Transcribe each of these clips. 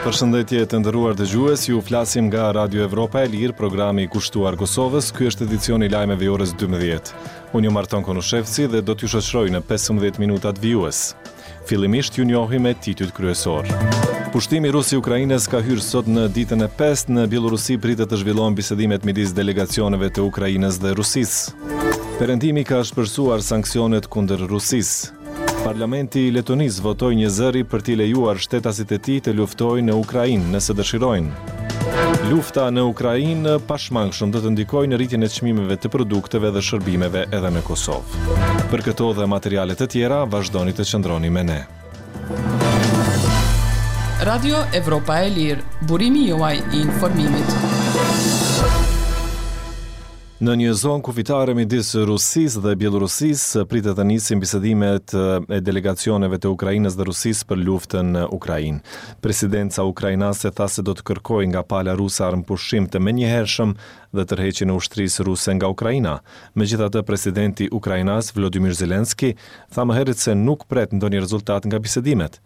Përshëndetje të nderuar dëgjues, ju flasim nga Radio Evropa e Lirë, programi i kushtuar Kosovës. Ky është edicioni i lajmeve i orës 12. Unë jam Arton Konushevci dhe do t'ju shoqëroj në 15 minutat vijues. Fillimisht ju njohim me titujt kryesorë. Pushtimi rus i Ukrainës ka hyrë sot në ditën e pestë, në Bjellorusi pritet të zhvillohen bisedimet midis delegacioneve të Ukrainës dhe Rusisë. Perëndimi ka ashpërsuar sanksionet kundër Rusisë. Parlamenti i Letonisë votoi njëzëri për t'i lejuar shtetasit e tij të luftojnë në Ukrainë, nëse dëshirojnë. Lufta në Ukrainë pashmangshëm do të ndikojë në rritjen e çmimeve të produkteve dhe shërbimeve edhe në Kosovë. Për këto dhe materiale të tjera, vazhdoni të qëndroni me ne. Radio Evropa e Lirë, burimi juaj i informimit. Në një zonë kufitare midis Rusisë dhe Bjellorusisë pritet të nisin bisedimet e delegacioneve të Ukrainës dhe Rusisë për luftën në Ukrainë. Presidenca ukrainase tha se do të kërkojë nga pala ruse armëpushim të menjëhershëm dhe tërheqjen e ushtrisë ruse nga Ukraina. Megjithatë, presidenti ukrainas Volodymyr Zelensky tha më herët se nuk pret ndonjë rezultat nga bisedimet.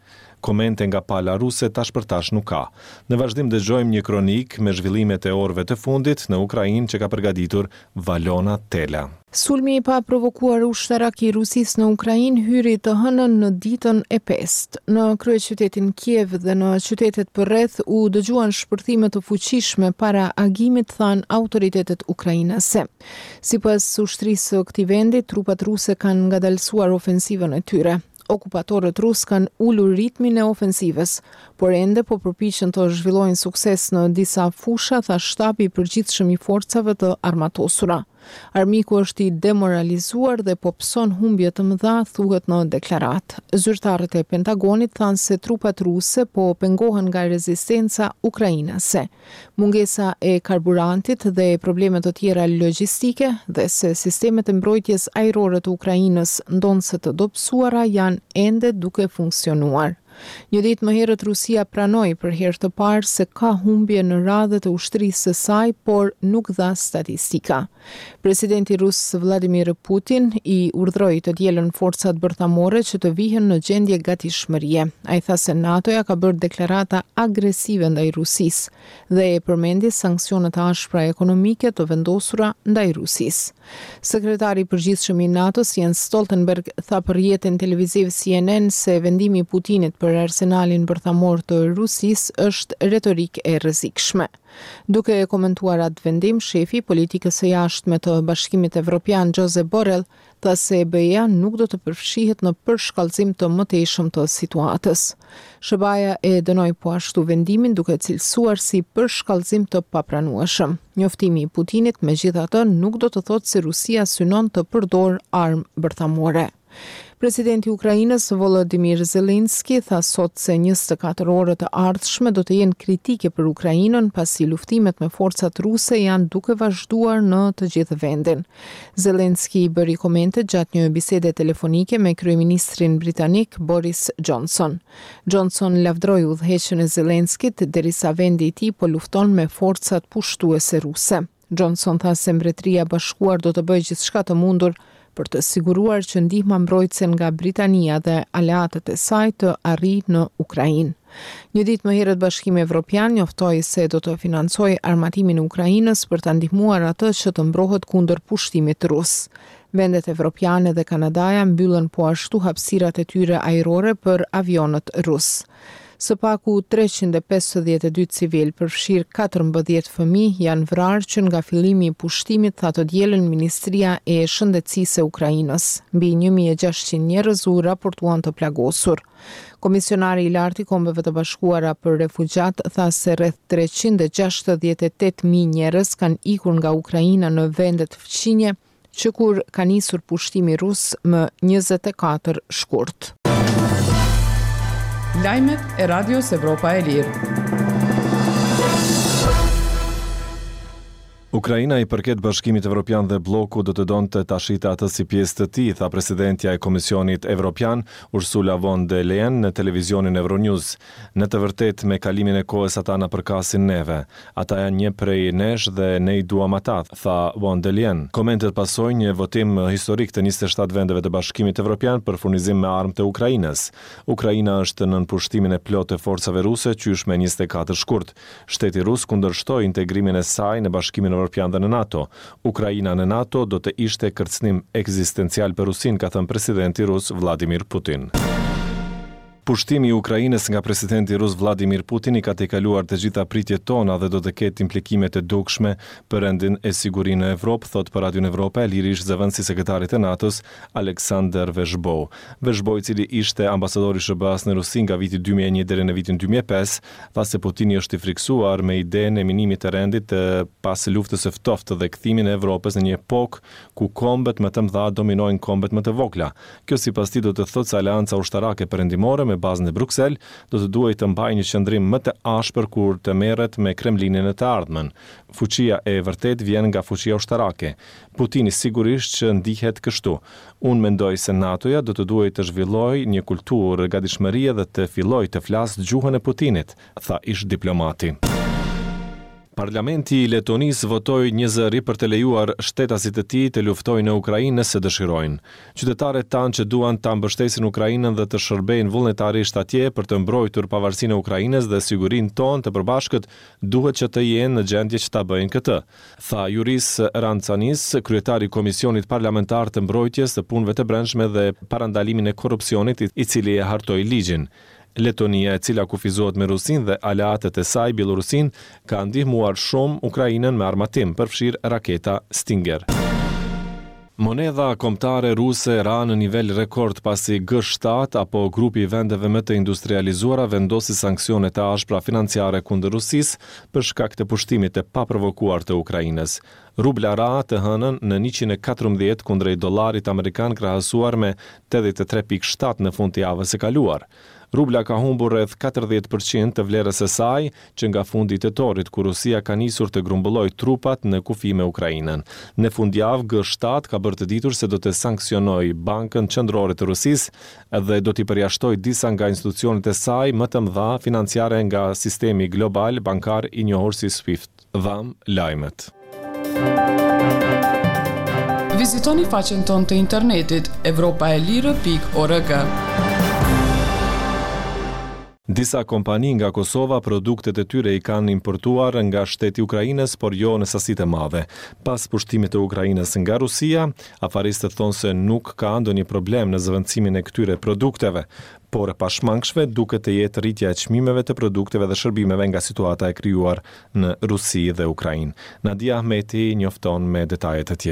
Komente nga pala ruse tash për tash nuk ka. Në vazhdim dëgjojmë një kronikë me zhvillimet e orëve të fundit në Ukrainë që ka përgatitur Valona Tela. Sulmi i paprovokuar ushtarak i Rusisë në Ukrainë hyri të hënën në ditën e pestë. Në kryeqytetin Kiev dhe në qytetet përreth u dëgjuan shpërthime të fuqishme para agimit, thanë autoritetet ukrainase. Sipas ushtrisë së këtij vendi, trupat ruse kanë ngadalësuar ofensivën e tyre. Okupatorët rusë kanë ulur ritmin e ofensivës, por ende po përpiqen të zhvillojnë sukses në disa fusha, tha Shtabi i Përgjithshëm i Forcave të Armatosura. Armiku është i demoralizuar dhe po pëson humbje të mëdha, thuhet në deklaratë. Zyrtarët e Pentagonit thanë se trupat ruse po pengohen nga rezistenca ukrainase. mungesa e karburantit dhe probleme të tjera logjistike dhe se sistemet e mbrojtjes ajrore të Ukrainës, ndonëse të dobësuara, janë ende duke funksionuar. Një ditë më herët Rusia pranoi për herë të parë se ka humbje në radhët e ushtrisë së saj, por nuk dha statistika. Presidenti rus Vladimir Putin i urdhëroi të dielën forcat bërthamore që të vihen në gjendje gatishmërie. Ai tha se NATO-ja ka bërë deklarata agresive ndaj Rusisë dhe e përmendi sanksionet e ashpra ekonomike të vendosura ndaj Rusisë. Sekretari i Përgjithshëm i NATO-s Jens Stoltenberg tha për rrjetin televiziv CNN se vendimi i Putinit për arsenalin bërthamor të Rusisë është retorikë e rrezikshme. Duke e komentuar atë vendim, shefi i politikës së jashtme të Bashkimit Evropian, Josep Borrell, tha se BE-ja nuk do të përfshihet në përshkallëzim të mëtejshëm të situatës. SHBA-ja e dënoi po ashtu vendimin duke e cilësuar si përshkallëzim të papranueshëm. Njoftimi i Putinit, megjithatë, nuk do të thotë se Rusia synon të përdorë armë bërthamore. Presidenti i Ukrainës, Volodymyr Zelensky, tha sot se 24 orët e ardhshme do të jenë kritike për Ukrainën, pasi luftimet me forcat ruse janë duke vazhduar në të gjithë vendin. Zelensky i bëri komentet gjatë një bisede telefonike me kryeministrin britanik Boris Johnson. Johnson lavdëroi udhëheqjen e Zelenskit derisa vendi i tij po lufton me forcat pushtuese ruse. Johnson tha se Mbretëria e Bashkuar do të bëjë gjithçka të mundur për të siguruar që ndihma mbrojtëse nga Britania dhe aleatët e saj të arrijë në Ukrainë. Një ditë më herët Bashkimi Evropian njoftoi se do të financojë armatimin e Ukrainës për ta ndihmuar atë që të mbrohet kundër pushtimit rus. Vendet evropiane dhe Kanadaja mbyllën po ashtu hapësirat e tyre ajrore për avionët rusë. Së paku 352 civilë, përfshirë 14 fëmijë, janë vrarë që nga fillimi i pushtimit, tha të dielën Ministria e Shëndetësisë e Ukrainës. Mbi 1600 njerëz u raportuan të plagosur. Komisionari i Lartë i Kombeve të Bashkuara për Refugjatë tha se rreth 368.000 njerëz kanë ikur nga Ukraina në vendet fqinje, që kur ka nisur pushtimi rus më 24 shkurt. Lajmet e Radios Evropa e Lirë. Ukraina i përket Bashkimit Evropian dhe blloku do të donte ta shihte atë si pjesë të tij, tha presidentja e Komisionit Evropian, Ursula von der Leyen në televizionin Euronews. Në të vërtetë, me kalimin e kohës ata na përkasin neve. Ata janë një prej nesh dhe ne i duam ata, tha von der Leyen. Komentet pasojnë një votim historik të 27 vendeve të Bashkimit Evropian për furnizim me armë të Ukrainës. Ukraina është nën pushtimin e plotë të forcave ruse qysh me 24 shkurt. Shteti rus kundërshtoi integrimin e saj në Bashkimin Evropian dhe në NATO. Ukraina në NATO do të ishte kërcënim ekzistencial për Rusinë, ka thënë presidenti rus Vladimir Putin. Pushtimi i Ukrainës nga presidenti rus Vladimir Putin i ka tejkaluar të gjitha pritjet tona dhe do të ketë implikime të dukshme për rendin e sigurinë në Evropë, thotë për Radion Evropa e Lirë ish-zëvendësi i sekretarit të NATO-s, Alexander Vershbow. Vershbow, i cili ishte ambasador i SHBA-së në Rusi nga viti 2001 deri në vitin 2005, tha se Putini është i frikësuar me idenë e minimit të rendit të pas luftës së ftohtë dhe kthimin e Evropës në një epokë ku kombet më të mëdha dominojnë kombet më të vogla. Kjo sipas tij do të thotë se aleanca ushtarake perëndimore me bazë në Bruksel do të duhej të mbajë një qëndrim më të ashpër kur të merret me Kremlinin në të ardhmen. Fuqia e vërtetë vjen nga fuqia ushtarake. Putini sigurisht që ndihet kështu. Unë mendoj se NATO-ja do të duhej të zhvillojë një kulturë gatishmërie dhe të fillojë të flasë gjuhën e Putinit, tha ish-diplomati. Parlamenti i Letonisë votoi njëzëri për të lejuar shtetasit e tij të luftojnë në Ukrainë nëse dëshirojnë. Qytetarët tanë që duan ta mbështesin Ukrainën dhe të shërbejnë vullnetarisht atje për të mbrojtur pavarësinë e Ukrainës dhe sigurinë tonë të përbashkët duhet që të jenë në gjendje që ta bëjnë këtë, tha Juris Rancanis, kryetar i Komisionit Parlamentar të Mbrojtjes, të Punëve të Brendshme dhe Parandalimin e Korrupsionit, i cili e hartoi ligjin. Letonia, e cila kufizohet me Rusinë dhe aleatët e saj, Bjellorusinë, ka ndihmuar shumë Ukrainën me armatim, përfshirë raketa Stinger. Monedha kombëtare ruse ra në nivel rekord pasi G7 apo grupi i vendeve më të industrializuara vendosi sanksione të ashpra financiare kundër Rusisë për shkak të pushtimit të paprovokuar të Ukrainës. Rubla ra të hënën në 114 kundrejt dollarit amerikan krahasuar me 83.7 në fund të javës së kaluar. Rubla ka humbur rreth 40% të vlerës së saj që nga fundi i tetorit, kur Rusia ka nisur të grumbullojë trupat në kufi me Ukrainën. Në fundjavë, G7 ka bërë të ditur se do të sanksionojë Bankën Qendrore të Rusisë dhe do t'i përjashtojë disa nga institucionet e saj më të mëdha financiare nga sistemi global bankar i njohur si SWIFT. Dhamë lajmet. Vizitoni faqen tonë të internetit evropaelire.org. Disa kompani nga Kosova produktet e tyre i kanë importuar nga shteti i Ukrainës, por jo në sasi të madhe. Pas pushtimit të Ukrainës nga Rusia, afaristët thonë se nuk ka ndonjë problem në zëvendësimin e këtyre produkteve, por e pashmangshme duket të jetë rritja e çmimeve të produkteve dhe shërbimeve nga situata e krijuar në Rusi dhe Ukrainë. Nadia Ahmeti njofton me detaje të tjera.